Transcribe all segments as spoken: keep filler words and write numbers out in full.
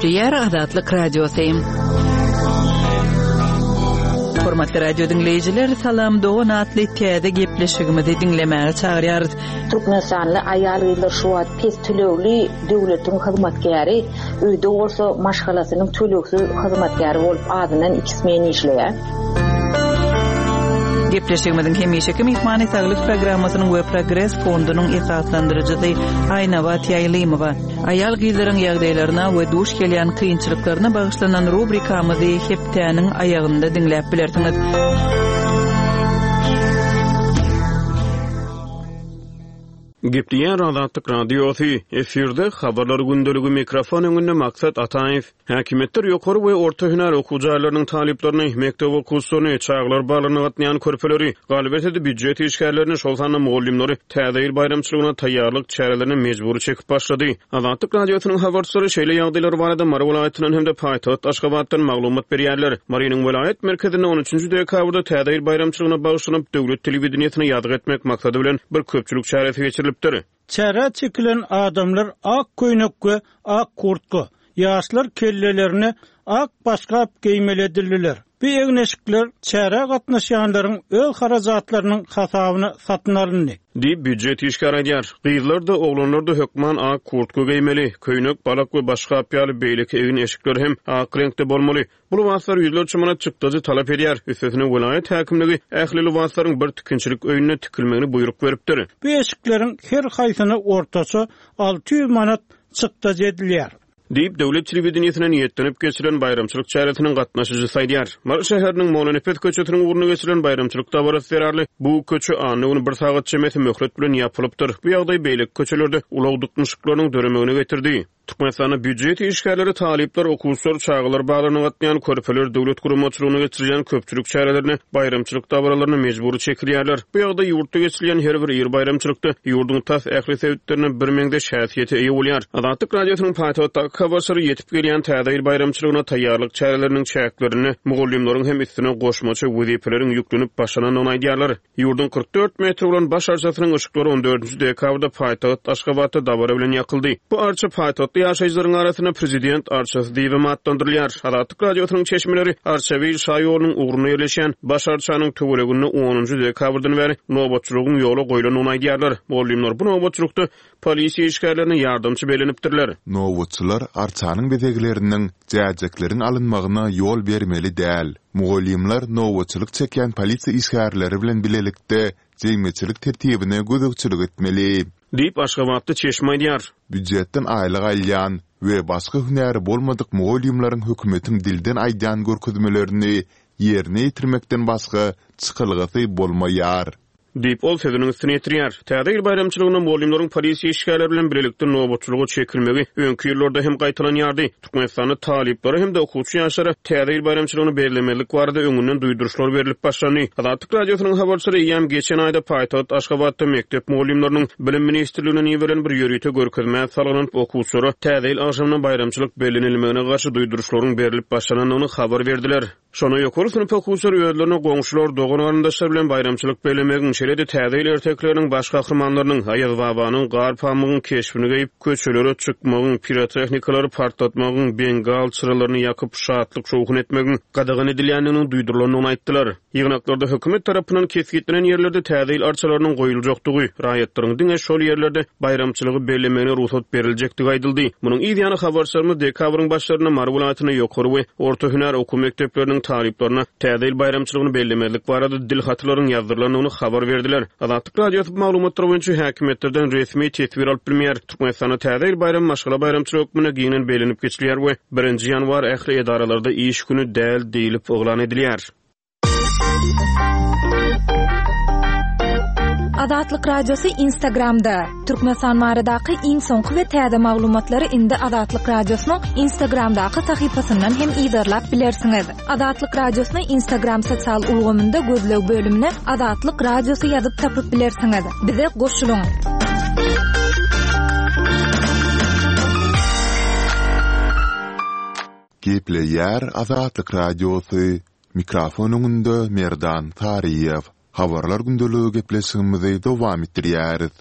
Gepleýär Azatlyk Radiosy. Hormatly radio diňleýjiler, Salam dogan atly täze gepleşigimizi diňlemäge çagyrýarys. Türkmenistanly aýal-gyzlar şu wagt pes tölegli döwletiň hyzmatkäri, öýde bolsa maşgalasynyň tölegsiz hyzmatkäri bolup azyndan iki smen işleýär. Gepleşigimiziň hemişeki myhmany Saglyk programmasynyň we Progres fondunyň esaslandyryjysy Aýnabat Ýaýlymowa. Aýal-gyzlaryň ýagdaýlaryna we duş gelýän kynçylyklaryna bagyşlanan rubrikamyzy hepdäniň aýagynda diňläp bilersiňiz. Gepleýär Azatlyk Radiosy, efirde Habarlar gündeligi, mikrofon öňünde Maksat Ataýew. Häkimiýetler ýokary we orta hünär okuw jaýlarynyň talyplaryny, mekdep okuwçylaryny, çagalar baglaryna gatnaýan körpeleri, galyberse-de býujet işgärlerini, şol sanda mugallymlary Täze ýyl baýramçylygyna taýýarlyk çärelerine mejbury çekip başlady. Azatlyk Radiosynyň habarçylary şeýle ýagdaýlar barada Mary welaýatyndan hem-de paýtagt Aşgabatdan maglumat berýärler. Marynyň welaýat merkezinde on üçünji dekabrda Täze ýyl baýramçylygyna bagyşlanyp, döwlet telewideniýesine ýazgy etmek maksady bilen bir köpçülik çäresi geçirilipdir. Çärä çekilen adamlar ak köýnek we ak kurtka, ýaşlar kellelerine ak başgap geýmeli edildiler. Bu egin-eşikler çärä gatnaşýanlaryň öz harajatlarynyň hasabyna satyn alyndy. Diýip, býujet işgäri aýdýar. Gyzlar-da, oglanlar-da hökman ak kurtka geýmeli, köýnek, balak we başgap ýaly beýleki egin-eşikler hem ak reňkde bolmaly. Bu lybaslar ýüzlerçe manat çykdajy talap edýär. Üstesine, welaýat häkimligi ähli lybaslaryň bir tikinçilik öýünde tikilmegini buýruk beripdir. Bu eşikleriň her haýsyna ortaça alty ýüz manat çykdajy edilýär. Diýip, döwlet telewideniýesine niýetlenip geçirilen baýramçylyk çäresiniň gatnaşyjysy aýdýar. Mary şäheriniň Mollanepes köçesiniň ugrunda geçirilen baýramçylyk dabarasy zerarly bu köçe anna güni bir sagat çemesi möhlet bilen ýapylypdyr. Bu ýagdaý beýleki köçelerde ulag dyknyşyklarynyň döremegine getirdi. Türkmenistanda býujet işgärleri, talyplar, okuwçylar, çagalar baglaryna gatnaýan körpeler döwlet guramaçylygynda geçirilýän köpçülik çärelerine, baýramçylyk dabaralaryna mejbury çekilýärler. Bu ýagdaý ýurtda geçirilýän her bir iri baýramçylykda ýurduň tas ähli sebitlerinde birmeňzeş häsiýete eýe bolýar. Azatlyk Radiosynyň paýtagtdaky habarçylary ýetip gelýän Täze ýyl baýramçylygyna taýýarlyk çäreleriniň çäklerinde mugallymlaryň hem üstüne goşmaça wezipeleriň ýüklenip başlanandygyny aýdýarlar. Ýurduň kyrk dört metr bolan baş arçasynyň yşyklary on dördünji dekabrda paýtagt Aşgabatda dabara bilen ýakyldy. Bu arça paýtagtly ýaşaýjylaryň arasynda prezident arçasy diýibem atlandyrylýar. Azatlyk Radiosynyň çeşmeleri Arçabil şaýolunyň ugrunda ýerleşýän baş arçanyň töwereginde onunjy dekabrdan bäri nobatçylygyň ýola goýlandygyny aýdýarlar. Mugallymlar bu nobatçylykda polisiýa işgärlerine ýardamçy bellenipdirler. Nobatçylar arçanyň bezegleriniň, jäjekleriň alynmagyna ýol bermeli däl. Mugallymlar nobatçylyk çekýän polisiýa işgärleri bilen bilelikde jemgyýetçilik tertibine gözegçilik etmeli. Diýip, aşgabatly çeşme aýdýar. Býujetden aýlyk alýan we başga hünäri bolmadyk mugallymlaryň hökümetiň dilden aýdýan görkezmelerini ýerine ýetirmekden başga çykalgasy bolmaýar. Diýip, ol sözüniň üstüni ýetirýär. Täze ýyl baýramçylygynda mugallymlaryň polisiýa işgärleri bilen bilelikde nobatçylyga çekilmegi öňki ýyllarda hem gaýtalanýardy. Türkmenistanda talyplara hem-de okuwçy ýaşlara Täze ýyl baýramçylygyny bellemezlik barada öňünden duýduryşlar berlip başlandy. Azatlyk Radiosynyň habarçylary eýýäm geçen aýda paýtagt Aşgabatda mekdep mugallymlarynyň Bilim ministrliginden iberilen bir ýörite görkezmä salgylanyp, okuwçylara Täze ýyl agşamyna baýramçylyk bellenilmegine garşy duýduryşlaryň berlip başlanandygyny habar berdiler. Şonda ýokary synp okuwçylary özlerine goňşular, dogan-garyndaşlar bilen baýramçylyk bellemegiň, şeýle-de Täze ýyl ertekileriniň baş gahrymanlarynyň, Aýazbabanyň, Garpamygyň keşbini geýip, köçelere çykmagyň, pirotehnikalar partlatmagyň, bengal çyralaryny ýakyp, şatlyk-şowhun etmegiň gadagan edilýändiginiň duýdurylandygyny aýtdylar. Ýygnaklarda hökümet tarapyndan kesgitlenen ýerlerde Täze ýyl arçalarynyň goýuljakdygy, raýatlaryň diňe şol ýerlerde baýramçylygy bellemegine rugsat beriljekdigi aýdyldy. Munuň yz ýany habarçylarymyz dekabryň başlarynda Mary welaýatynda ýokary we orta hünär okuw mekdepleriniň talyplaryna Täze ýyl baýramçylygyny bellemezlik barada dil hatlaryň ýazdyrylandygyny habar berdiler. Azatlyk Radiosy bu maglumatlar boýunça häkimiýetlerden resmi teswir alyp bilmeýär. Türkmenistanda Täze ýyl baýramy maşgala baýramçylygy hökmünde giňden bellenip geçilýär we birinji ýanwar ähli edaralarda iş güni däl diýlip yglan edilýär. Azatlyk Radiosy Instagramda. Türkmenistan baradaky iň soňky we täze maglumatlary indi Azatlyk Radiosynyň Instagramdaky sahypasyndan hem yzarlap bilersiňiz. Azatlyk Radiosyny Instagram sosial ulgamynda gözleg bölümine Azatlyk Radiosy ýazyp tapyp bilersiňiz. Bize goşulyň. Gepleýär Azatlyk Radiosy. Mikrofon öňünde Merdan Taryýew. Habarlar gündeligi gepleşigimizi dowam etdirýäris.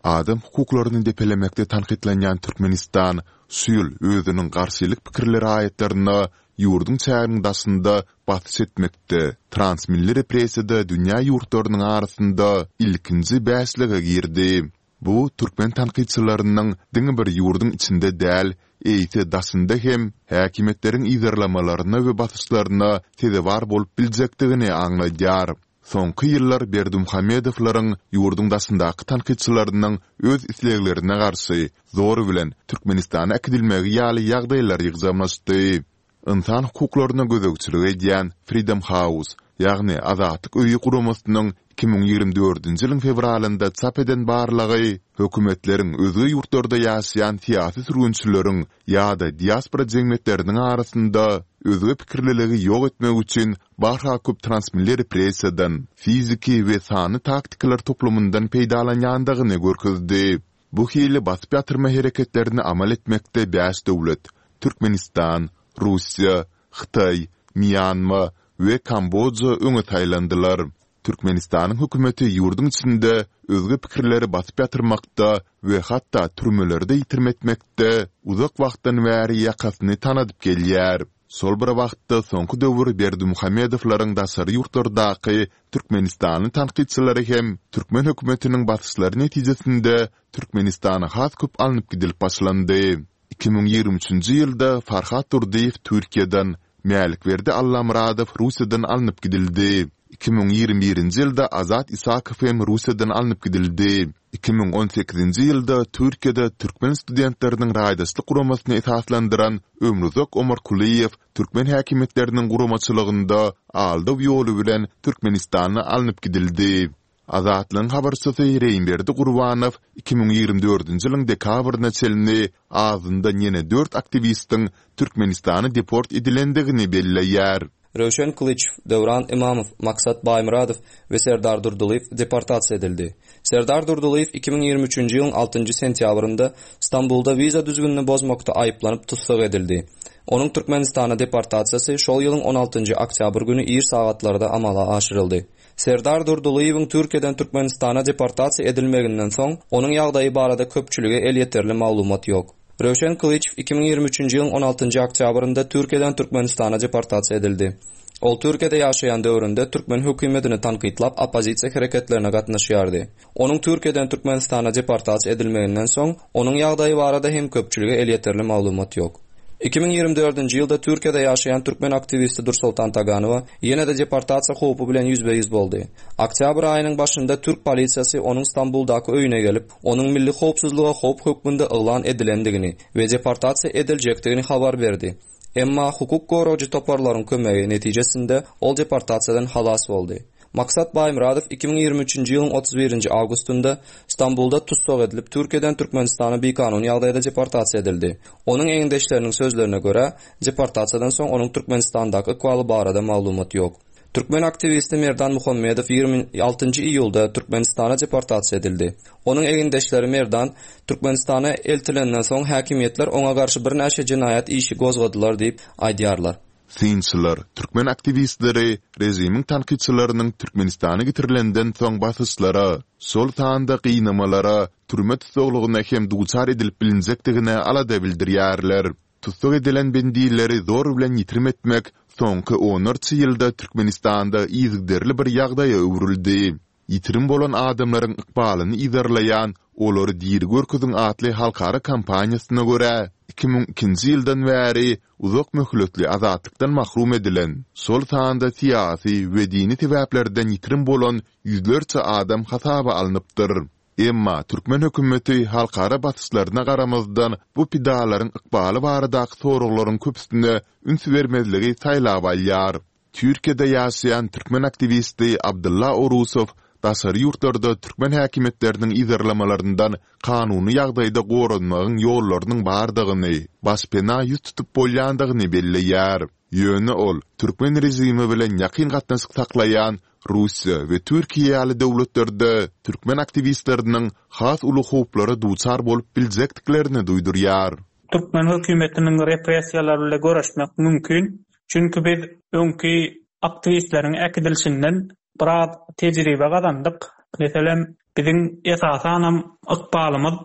Adam hukuklaryny depelemekde tankytlanýan Türkmenistan şu ýyl özüniň garşylyk pikirli raýatlaryna ýurduň çäginiň daşynda basyş etmekde, transmilli repressiýada dünýä ýurtlarynyň arasynda ilkinji bäşlige girdi. Bu türkmen tankytçylarynyň diňe bir ýurduň içinde däl, eýse daşynda hem häkimiýetleriň yzarlamalaryna we basyşlaryna sezewar bolup biljekdigini aňladýar. Soňky ýyllar Berdimuhamedowlaryň ýurduň daşyndaky tankytçylarynyň öz isleglerine garşy, zor bilen Türkmenistana äkidilmegi ýaly ýagdaýlar ýygjamlaşdy. Ynsan hukuklaryna gözegçilik edýän Freedom House, ýagny Azatlyk öýi guramasynyň iki müň ýigrimi dördünji ýylyň fewralynda çap eden barlagy hökümetleriň özge ýurtlarda ýaşaýan syýasy sürgünçileriň ýa-da diaspora jemgyýetleriniň arasynda özge pikirliligi ýok etmek üçin barha köp transmilli repressiýadan, fiziki we sanly taktikalar toplumyndan peýdalanýandygyny görkezdi. Bu hili basyp ýatyrma hereketlerini amal etmekde bäş döwlet, Türkmenistan, Russiýa, Hytaý, Mýanma we Kamboja öňe saýlandylar. Türkmenistanyň hökümeti ýurduň içinde özge pikirleri basyp ýatyrmakda we hatda türmelerde ýitirim etmekde uzak wagtdan bäri ýakasyny tanadyp gelýär. Şol bir wagtda, soňky döwür Berdimuhamedowlaryň daşary ýurtlardaky türkmenistanly tankytçylary hem türkmen hökümetiniň basyşlary netijesinde Türkmenistana has köp alnyp gidilip başlandy. Iki müň ýigrimi üçünji ýylda Farhat Durdyýew Türkiýeden, Mälikberdi Allamyradow Russiýadan alnyp gidildi. Iki müň ýigrimi birinji ýylda Azat Isakow hem Russiýadan alnyp gidildi. Iki müň on sekizinji ýylda Türkiýede türkmen studentleriniň raýdaşlyk guramasyny esaslandyran Ömruzak Omarkulyýew türkmen häkimiýetleriniň guramaçylygynda aldaw ýoly bilen Türkmenistana alnyp gidildi. Azatlygyň habarçysy Reýimberdi Gurbanow iki müň ýigrimi dördünji ýylyň dekabryna çenli azyndan ýene dört aktiwistiň Türkmenistana deport edilendigini belleýär. Röwşen Kylyçow, Döwran Ymamow, Maksat Baýmyradow we Serdar Durdylyýew deportasiýa edildi. Serdar Durdylyýew iki müň ýigrimi üçünji ýylyň altynjy sentýabrynda Stambulda wiza düzgünini bozmakda aýyplanyp tussag edildi. Onuň Türkmenistana deportasiýasy şol ýylyň on altynjy oktýabr güni ir sagatlarda amala aşyryldy. Serdar Durdylyýewiň Türkiýeden Türkmenistana deportasiýa edilmeginden soň, onuň ýagdaýy barada köpçülige elýeterli maglumat ýok. Röwşen Kylyçow iki müň ýigrimi üçünji ýylyň on altynjy oktýabrynda Türkiýeden Türkmenistana deportasiýa edildi. Ol Türkiýede ýaşaýan döwründe türkmen hökümetini tankytlap oppozisiýa hereketlerine gatnaşýardy. Onuň Türkiýeden Türkmenistana deportasiýa edilmeginden soň, onuň ýagdaýy barada hem köpçülige elýeterli maglumat ýok. Iki müň ýigrimi dördünji ýylda Türkiýede ýaşaýan türkmen aktiwisti Dursoltan Taganowa ýene-de deportasiýa howpy bilen ýüzbe-ýüz boldy. Oktýabr aýynyň başynda türk polisiýasy onuň Stambuldaky öýüne gelip, onuň milli howpsuzlyga howp hökmünde yglan edilendigini we deportasiýa ediljekdigini habar berdi. Emma hukuk goraýjy toparlaryň kömegi netijesinde ol deportasiýadan halas boldy. Maksat Baýmyradow iki müň ýigrimi üçünji ýylyň otuz birinji awgustynda Stambulda tussag edilip, Türkiýeden Türkmenistana bikanun ýagdaýda deportasiýa edildi. Onuň egindeşleriniň sözlerine görä, deportasiýadan soň onuň Türkmenistandaky ykbaly barada maglumat ýok. Türkmen aktiwisti Merdan Muhammedow ýigrimi altynjy iýulda Türkmenistana deportasiýa edildi. Onuň egindeşleri Merdan Türkmenistana eltilenden soň häkimiýetler oňa garşy birnäçe jenaýat işi gozgadylar diýip aýdýarlar. Synçylar türkmen aktiwistleri režimiň tankytçylarynyň Türkmenistana getirilenden soň basyşlara, şol sanda gynamalara, türme tussaglygyna hem duçar edilip bilinjekdigine alada bildirýärler. Tussag edilen bendileri zor bilen ýitirim etmek soňky onlarça ýylda Türkmenistanda yzygiderli bir ýagdaýa öwrüldi. Ýitirim bolan adamlaryň ykbalyny yzarlaýan Olary diri görkeziň atly halkara kampaniýasyna görä, iki müň ikinji ýyldan bäri uzak möhletli azatlykdan mahrum edilen, şol sanda syýasy we dini sebäplerden ýitirim bolan ýüzlerçe adam hasaba alnypdyr. Emma türkmen hökümeti halkara basyşlaryna garamazdan bu pidalaryň ykbaly baradaky soraglaryň köpüsine üns bermezligi saýlap alýar. Türkiýede ýaşaýan türkmen aktiwisti Abdylla Orusow daşary ýurtlarda türkmen häkimiýetleriniň yzarlamalaryndan kanuny ýagdaýda goranmagyň ýollarynyň bardygyny, başpena ýüz tutup bolýandygyny belleýär. Ýöne ol türkmen režimi bilen ýakyn gatnaşyk saklaýan Russiýa we Türkiýe ýaly döwletlerde türkmen aktiwistleriniň has uly howplara duçar bolup biljekdiklerini duýdurýar. Türkmen hökümetiniň repressiýalary bilen göreşmek mümkin. Çünki biz öňki aktiwistleriň äkidilişinden biraz tejribe gazandyk. Meselem, biziň esasanam ykbalymyz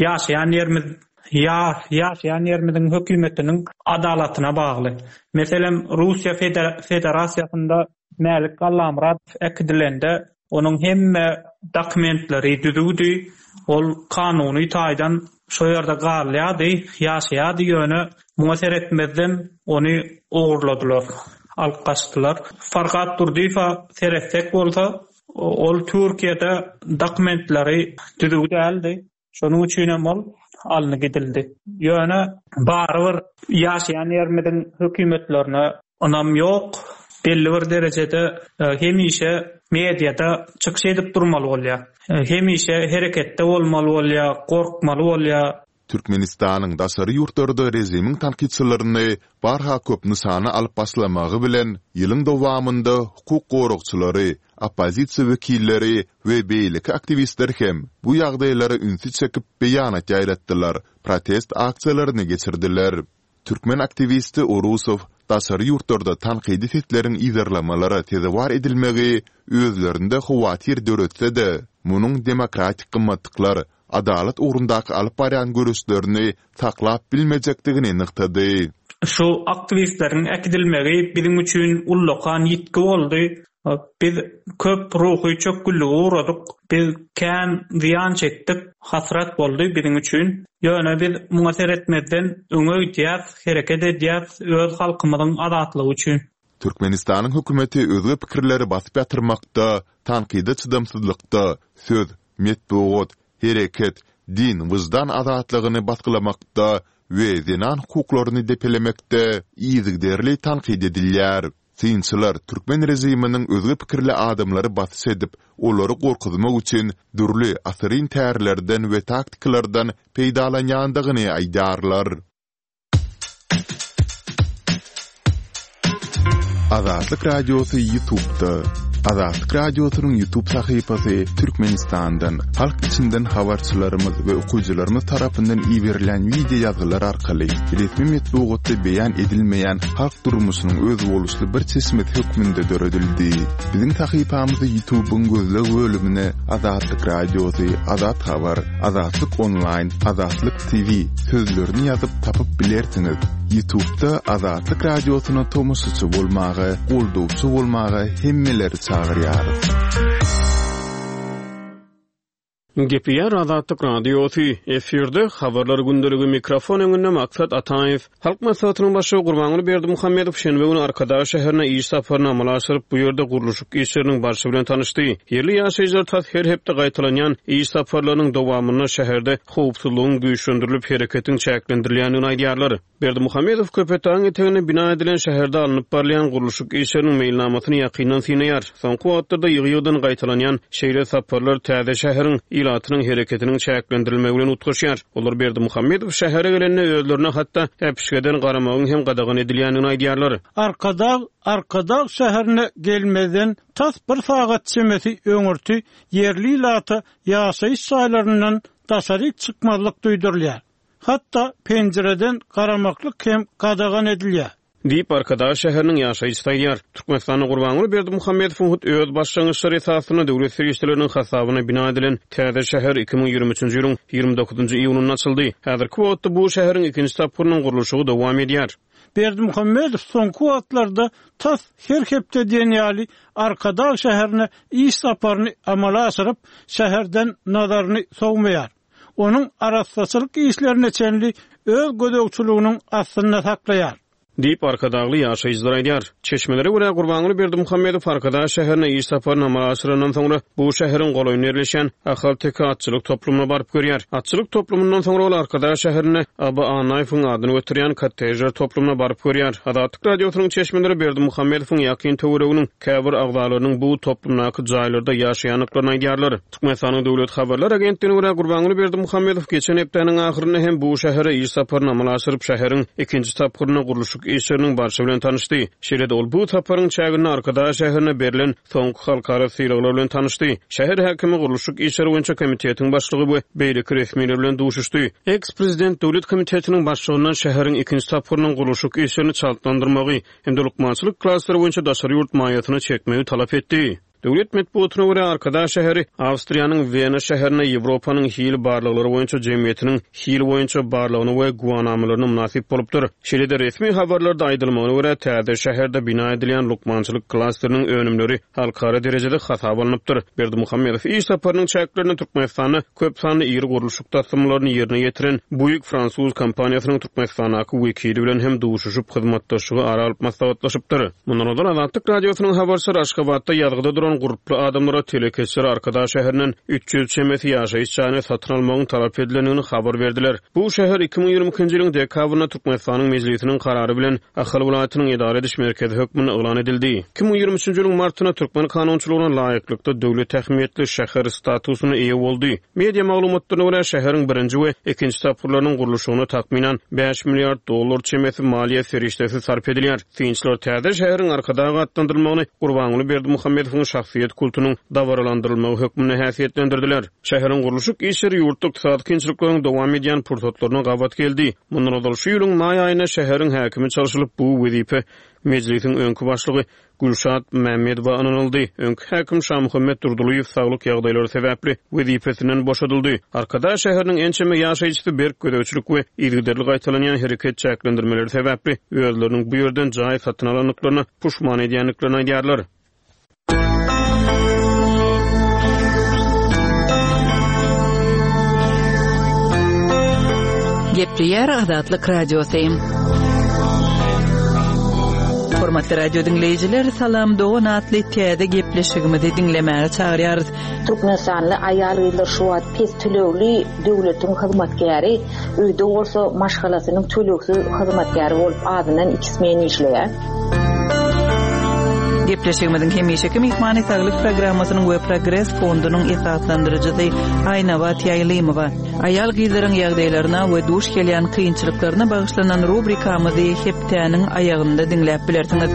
ýaşaýan ýerimiz ýa ýaşaýan ýerimiziň hökümetiniň adalatyna bagly. Meselem, Russiýa Federasiýasynda Mälik Allamyradow äkidilende onuň hemme dokumentleri düzüwdi. Ol kanuny taýdan şo ýerde galýardy, ýaşaýardy, ýöne muňa seretmezden ony ogurladylar, alyp gaçdylar. Farhat Durdyýewa seretsek bolsa, ol Türkiýede dokumentleri düzüw däldi. Şonuň üçin hem ol alnyp gidildi. Ýöne barybir ýaşaýan ýerimiziň hökümetlerine ynam ýok. Belli bir derejede hemişe mediada çykyş edip durmaly bolýar. Hemişe hereketde bolmaly bolýar, gorkmaly bolýar. Türkmenistanyň daşary ýurtlarda režimiň tankytçylaryny barha köp nyşana alyp başlamagy bilen, ýylyň dowamynda hukuk goragçylary, oppozisiýa wekilleri we beýleki aktiwistler hem bu ýagdaýlara ünsi çekip beýanat ýaýratdylar, protest aksiýalaryny geçirdiler. Türkmen aktiwisti Orusow daşary ýurtlarda tankydy sesleriň yzarlamalara sezewar edilmegi özlerinde howatyr döretse-de, munuň demokratik gymmatlyklar, adalat ugrundaky alyp barýan göreşlerini saklap bilmejekdigini nygtady. Şu aktiwistleriň äkidilmegi biziň üçin ullakan ýitgi boldy. Biz köp ruhy çökgünlige uğradyk. Biz kän zyýan çekdik. Hasrat boldy biziň üçin. Ýöne biz muňa seretmezden öňe gidýäs, hereket edýäs öz halkymyzyň azatlygy üçin. Türkmenistanyň hökümeti özge pikirleri basyp ýatyrmakda, tankyda çydamsyzlykda, söz, metbugat, hereket, din, wyždan azatlygyny basgylamakda we zenan hukuklaryny depelemekde yzygiderli tankyt edilýär. Synçylar türkmen režiminiň özge pikirli adamlary basyş edip, olary gorkuzmak üçin dürli asyryn tärlerden we taktikalardan peýdalanýandygyny aýdýarlar. Azatlyk Radiosy YouTube'da. Azatlyk Radiosynyň YouTube sahypasy Türkmenistandan, halk içinden habarçylarymyz we okyjylarymyz tarapyndan iberilen wideo ýazgylar arkaly resmi metbugatda beýan edilmeýän halk durmuşynyň özboluşly bir çeşmesi hökmünde döredildi. Biziň sahypamyzy YouTube'yň gözleg bölümine Azatlyk Radiosy, Azat Habar, Azatlyk Online, Azatlyk T V sözlerini ýazyp tapyp bilersiňiz. YouTube'da Azatlyk Radiosyna tomaşaçy bolmaga, goldawçy bolmaga hemmeleri çagyrýarys. Gepýär Azatlyk Radiosy, efirde habarlar gündeligi mikrofon öňünde Maksat Ataýew. Halk Maslahatynyň başlygy Gurbanguly Berdimuhamedow şenbe güni Arkadag şäherine iş saparyny amala aşyryp, bu ýerde gurluşyk işleriniň barşy bilen tanyşdy. Ýerli ýaşaýjylar tas her hepde gaýtalanýan iş saparlarynyň dowamynda şäherde howpsuzlygyň güýçlendirilip hereketiň çäklendirilýändigini aýdýarlar. Berdimuhamedow Köpetdagyň eteginde bina edilen şäherde alnyp barylýan gurluşyk işleriniň meýilnamasyny ýakyndan synaýar. Soňky wagtlarda ýygy-ýygydan gaýtalanýan şeýle saparlar täze şäheriň ilatynyň hereketiniň çäklendirilmegi bilen utgaşýar. Olar Berdimuhamedow şähere gelende özlerine hatda äpişgeden garamagyň hem gadagan edilýändigini aýdýarlar. Arkadag, Arkadag şäherine gelmezden tas bir sagat çemesi öňürti ýerli ilata ýaşaýyş jaýlaryndan daşary çykmazlyk duýdurylýar. Hatda penjireden garamaklyk hem gadagan edilýär. Diýip Arkadag şäheriniň ýaşaýjysy aýdýar. Türkmenistanda Gurbanguly Berdimuhamedowyň hut öz başlangyçlary esasynda döwlet serişdeleriniň hasabyna bina edilen täze şäher iki müň ýigrimi üçünji ýylyň ýigrimi dokuzynjy iýunynda açyldy. Häzirki wagtda bu şäheriň ikinji tapgyrynyň gurluşygy dowam edýär. Berdimuhamedow soňky wagtlarda tas her hepde diýen ýaly Arkadag şäherine iş saparyny amala aşyryp, şäherden nazaryny sowmaýar. Onuň arassaçylyk işlerine çenli öz gözegçiliginiň astynda saklaýar. Diýip Arkadagly ýaşaýjylar aýdýar. Çeşmelere görä Gurbanguly Berdimuhamedow Arkadag şäherine iş saparyny amala aşyrandan soňra bu şäheriň golaýynda ýerleşen Ahalteke atçylyk toplumyna baryp görýär. Atçylyk toplumyndan soňra ol Arkadag şäherine Aba Annaýewiň adyny götürýän kottejler toplumyna baryp görýär. Azatlyk Radiosynyň çeşmeleri Berdimuhamedowyň ýakyn töwereginiň käbir agzalarynyň bu toplumdaky jaýlarda ýaşaýandyklaryny aýdýarlar. Türkmenistanyň Döwlet Habarlar Agentligine görä Gurbanguly Berdimuhamedow geçen hepdäniň ahyrynda hem bu şähere iş saparyny amala aşyryp, şäheriň ikinji tapgyrynda gurluşyk işleriniň barşy bilen tanyşdy. Şeýle-de ol bu saparyň çäginde Arkadag şäherine berlen soňky halkara sylaglar bilen tanyşdy. Şäher häkimi gurluşyk işleri boýunça komitetiň başlygy we beýleki resmiler bilen duşuşdy. Ex-prezident Döwlet komitetiniň başlygyndan şäheriň ikinji tapgyrynyň gurluşyk işlerini çaltlandyrmagy hem-de lukmançylyk klasteri boýunça daşary ýurt maýasyny çekmegi talap etdi. Döwlet metbugatyna görä, Arkadag şäheri Awstriýanyň Wena şäherinde Ýewropanyň hil barlaglary boýunça jemgyýetiniň hil boýunça barlagyny we güwanamalaryna mynasyp bolupdyr. Şeýle-de resmi habarlarda aýdylmagyna görä, täze şäherde bina edilýän lukmançylyk klasteriniň önümleri halkara derejede hasaba alnypdyr. Berdimuhamedow iş saparynyň çäklerinde Türkmenistanda köp sanly iri gurluşyk taslamalaryny ýerine ýetiren Bouygues fransuz kompaniýasynyň Türkmenistandaky wekili bilen hem duşuşyp, hyzmatdaşlygy ara alyp maslahatlaşypdyr. Mundan ozal Azatlyk Radiosynyň habarçylary Aşgabatda ýazgyda duran gurply adamlara telekeçiler Arkadag şäherinden üç ýüz çemesi ýaşaýyş jaýyny satyn almagyň talap edilendigini habar berdiler. Bu şäher iki müň ýigrimi ikinji ýylyň dekabrynda Türkmenistanyň Mejlisiniň karary bilen Ahal welaýatynyň edara ediş merkezi hökmünde yglan edildi. Iki müň ýigrimi üçünji ýylyň martynda türkmen kanunçylygyna laýyklykda döwlet ähmiýetli şäher statusyna eýe boldy. Media maglumatlaryna görä, şäheriň birinji we ikinji tapgyrlarynyň gurluşygyna takmynan bäş milliard dollar çemesi maliýe serişdesi sarp edilýär. Synçylar täze şäheriň Arkadag atlandyrylmagyny Gurbanguly Berdimuhamedowyň şahsyýet kultunyň dabaralandyrylmagy hökmünde häsiýetlendirdiler. Şäheriň gurluşyk işleri ýurtda ykdysady kynçylyklaryň dowam edýän pursatlaryna gabat geldi. Mundan ozal şu ýylyň maý aýynda şäheriň häkimi çalşylyp, bu wezipe Mejlisiň öňki başlygy Gülşat Mämmedowa ynanyldy. Öňki häkim Şamuhammet Durdylyýew saglyk ýagdaýlary sebäpli wezipesinden boşadyldy. Arkadag şäheriniň ençeme ýaşaýjysy berk gözegçilik we yzygiderli gaýtalanýan hereket çäklendirmeleri sebäpli özleriniň bu ýerden jaý satyn alandyklaryna puşman edýändiklerini aýdýarlar. Gepleýär Azatlyk Radiosy. Hormatly radio diňleýjiler, Salam dogan atly täze gepleşigimizi diňlemäge çagyrýarys. Türkmenistanly aýal-gyzlar şu wagt pes tölegli döwletiň hyzmatkäri, öýde bolsa maşgalasynyň tölegsiz hyzmatkäri bolup azyndan iki smen işleýär. Gepleşigimiziň hemişeki myhmany Saglyk programmasynyň we Progres fondunyň esaslandyryjysy Aýnabat Ýaýlymowa. Aýal-gyzlaryň ýagdaýlaryna we duş gelýän kynçylyklaryna bagyşlanan rubrikamyzy hepdäniň aýagynda diňläp bilersiňiz.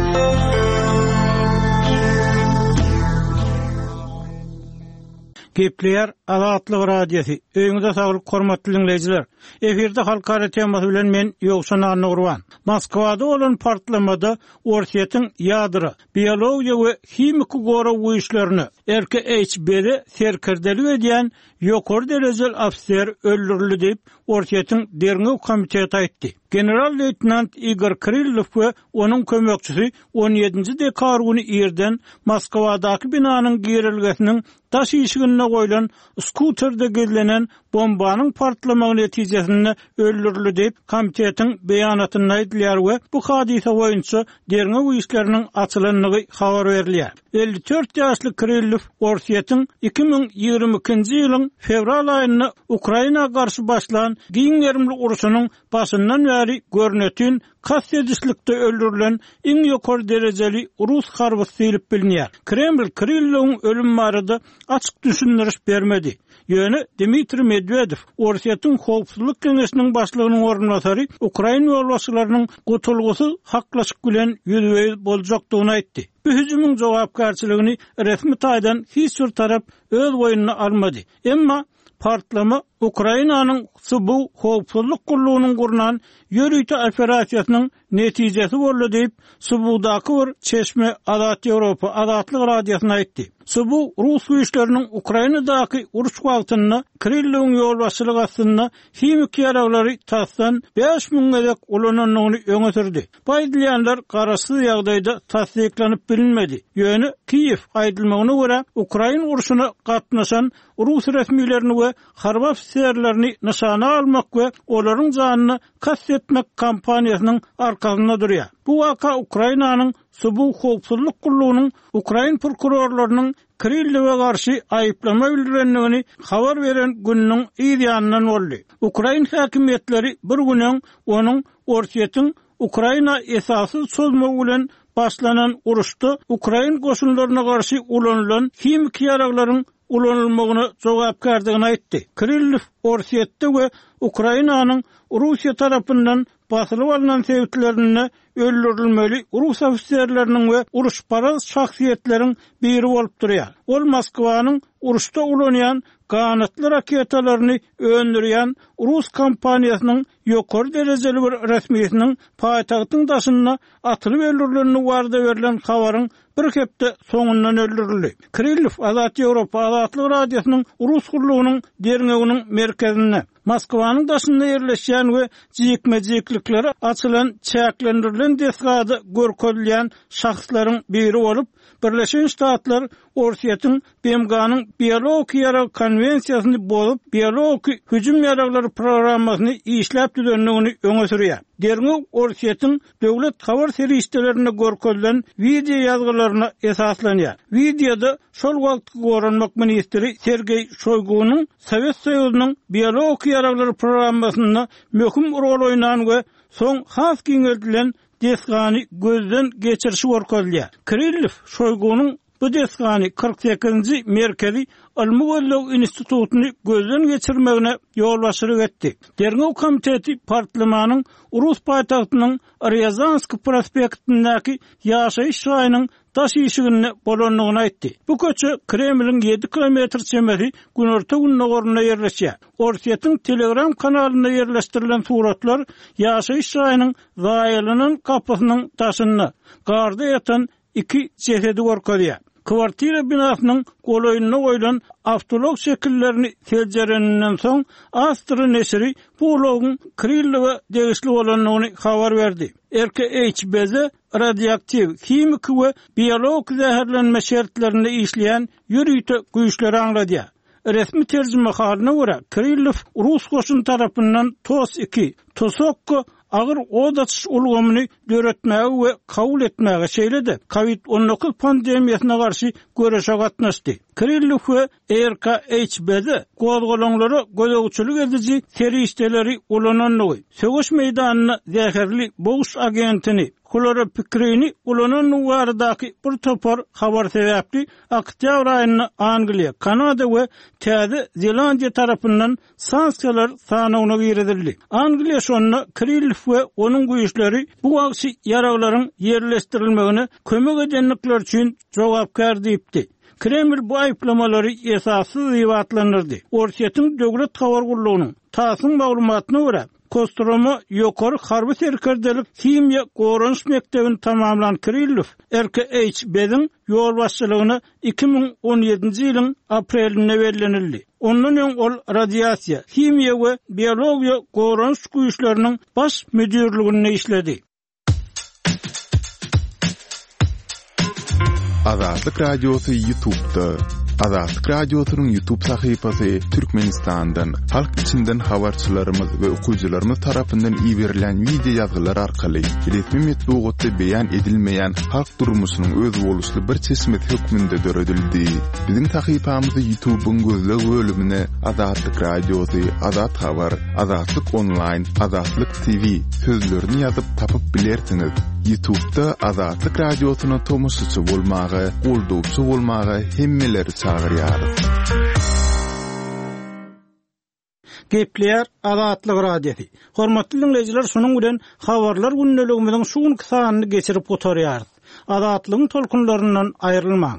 Gepleýär Azatlyk Radiosy. Öýüňize saglyk hormatly diňleýjiler. Efirde halkara temasy bilen men Ýowşan Annagurban. Moskwada bolan partlamada Orsýetiň ýadro, biologiýa we himiki gorag güýçlerine R K H B-de serkerdelik edýän ýokary derejeli ofiser öldürildi diýip Orsýetiň Derňew komiteti aýtdy. General-leýtenant Igor Kirillow we onuň kömekçisi on ýedinji dekabr güni irden Moskwadaky binanyň girilgesiniň daş işiginde goýlan skuterde gizlenen bombanyň partlamagy netijesinde öldürildi diýip komitetiň beýanatynda aýdylýar we bu hadysa boýunça derňew işleriniň açylandygy habar berilýär. Elli dört ýaşly Kirillow Orsýetiň iki müň ýigrimi ikinji ýylyň fewral aýynda Ukraina garşy başlan giň gerimli urşunyň başyndan bäri görnetin kast edişlikde öldürilen iň ýokary derejeli rus harbysy diýlip bilinýär. Kreml Kirillowyň ölüm barada açyk düşündiriş bermedi. Ýöne Dmitri Medvedew Orsýetiň Howpsuzlyk Geňeşiniň başlygynyň orunbasary Ukrain ýolbaşçylarynyň gutulgysyz haklaşyk bilen ýüzbe-ýüz boljakdygyny aýtdy. Bu hüjümiň jogapkärçiligini resmi taýdan hiç bir tarap öz boýnuna almady. Emma partlama Ukrainanyň S B U Howpsuzlyk gullugynyň gurnan ýörite operasiýasynyň netijesi boldy diýip S B U-daky bir çeşme Azat Ýewropa Azatlyk Radiosyna aýtdy. S B U Rus güýçleriniň Ukrainadaky uruş wagtynda Kirillowyň ýolbaşçylygy astynda himiki ýaraglary tasdan bäş müň gezek ulanandygyny öňe sürdi. Bu aýdylýanlar garaşsyz ýagdaýda tassyklanyp bilinmedi. Ýöne Kiýew aýdylmagyna görä Ukrain urşuna gatnaşan Rus resmilerini we harby ofiserlerini nyşana almak we olaryň janyna kast etmek kampaniýasynyň arkasynda durýar. Bu waka Ukrainanyň S B U Howpsuzlyk gullugynyň Ukrain prokurorlarynyň Kirillowa garşy aýyplama bildirendigini habar beren gününiň yz ýanyndan boldy. Ukrain häkimiýetleri bir gün öň onuň Orsýetiň Ukraina esasy çözmegi bilen başlanan uruşda Ukrain goşunlaryna garşy ulanylan himiki ýaraglaryň ulanylmagyna jogapkärdigini aýtdy. Kirillow Orsýetde we Ukrainanyň Russiýa tarapyndan basylyp alynan sebitlerinde öldürilmeli rus ofiserleriniň we uruşparaz şahsyýetleriň biri bolup durýar. Ol Moskwanyň uruşda ulanýan ganatly raketalaryny öndürýän rus kompaniýasynyň ýokary derejeli bir resmisiniň paýtagtyň daşynda atylyp öldürilenligi barada berlen habaryň bir hepde soňundan öldürildi. Kirillow Azat Ýewropa Azatlyk Radiosynyň rus gullugynyň derňewiniň merkezinde Moskwanyň daşynda ýerleşýän we jikme-jiklikleri açylan çäklendirilen desgada görkezilýän şahslaryň biri bolup, Birleşen Ştatlar Orsýetiň B M G-nyň biologik ýarag konwensiýasyny bozup, biologik hüjüm ýaraglary programmasyny işläp düzendigini öňe sürýär. Derňew Orsýetiň döwlet habar serişdelerinde görkezilen wideo ýazgylaryna esaslanýar. Wideoda şol wagtky goranmak ministri Sergeý Şoýgunyň Sowet Soýuzynyň biologik ýaraglary programmasynda möhüm rol oýnan we soň has giňeldilen desgany gözden geçirişi görkezilýär. Kirillow Şoýgunyň bu desgany kyrk sekizinji Merkezi Ylmy Gözleg institutyny gözden geçirmegine ýolbaşçylyk etdi. Derňew komiteti partlamanyň Rus paýtagtynyň Ryazansk prospektindäki ýaşaýyş jaýynyň daş işiginde bolandygyny aýtdy. Bu köçe Kremliň ýedi kilometr çemesi günorta gündogarynda ýerleşýär. Orsýetiň Telegram kanalynda ýerleşdirilen suratlar ýaşaýyş jaýynyň zaýalanan gapysynyň daşynda garda ýatan iki jesedi görkezýär. Kwartira binasynyň golaýynda goýlan awtoulag şekillerini seljereninden soň Astra neşiri bu ulagyň Kirillowa degişli bolandygyny habar berdi. R K H B Z radioaktiw, himiki we biologik zäherlenme şertlerinde işleýän ýörite güýçleri aňladýar. Resmi terjimehalyna görä Kirillow rus goşun tarapyndan TOS iki, Tosokko agyr od açyş ulgamyny döretmäge we kabul etmäge, şeýle-de COVID on dokuz pandemiýasyna garşy göreşe gatnaşdy. Kirillow we R K H B Z gozgalaňlara gözegçilik ediji serişdeleri ulanandygy, söweş meýdanynda zäherli boguş agentini, hloropikrini ulanandygy baradaky bir topar habar sebäpli oktýabr aýynda Angliýa, Kanada we Täze Zelandiýa tarapyndan sanksiýalar sanawyna girizildi. Angliýa şonda Kirillow we onuň güýçleri bu wagşy ýaraglaryň ýerleşdirilmegine kömek edendikleri üçin jogapkär diýipdi. Kreml bu aýyplamalary esassyz diýip atlandyrdy. Orsýetiň döwlet habar gullugynyň TASS-yň maglumatyna görä, Kostroma ýokary harby serkerdelik himiýa goranyş mekdebini tamamlan Kirillow R K H B-iň ýolbaşçylygyna iki müň on ýedinji ýylyň aprelinde bellenildi. Ondan öň ol radiasiýa, himiýa we biologiýa goranyş güýçleriniň baş müdirliginde işledi. Azatlyk Radiosy YouTube'da. Azatlyk Radiosynyň YouTube sahypasy Türkmenistandan, halk içinden habarçylarymyz we okyjylarymyz tarapyndan iberilen wideo ýazgylar arkaly resmi metbugatda beýan edilmeýän halk durmuşynyň özboluşly bir çeşmesi hökmünde döredildi. Biziň sahypamyzy YouTube'yň gözleg bölümine Azatlyk Radiosy, Azat Habar, Azatlyk Online, Azatlyk T V sözlerini ýazyp tapyp bilersiňiz. YouTube'da Azatlyk Radiosyna tomaşaçy bolmaga, goldawçy bolmaga hemmeleri çagyrýarys. Gepleýär Azatlyk Radiosy. Hormatly dinleýjiler, şunuň bilen habarlar gündeligimiziň şu günki sanyny geçirip gutarýarys. Azatlygyň tolkunlaryndan aýrylmaň.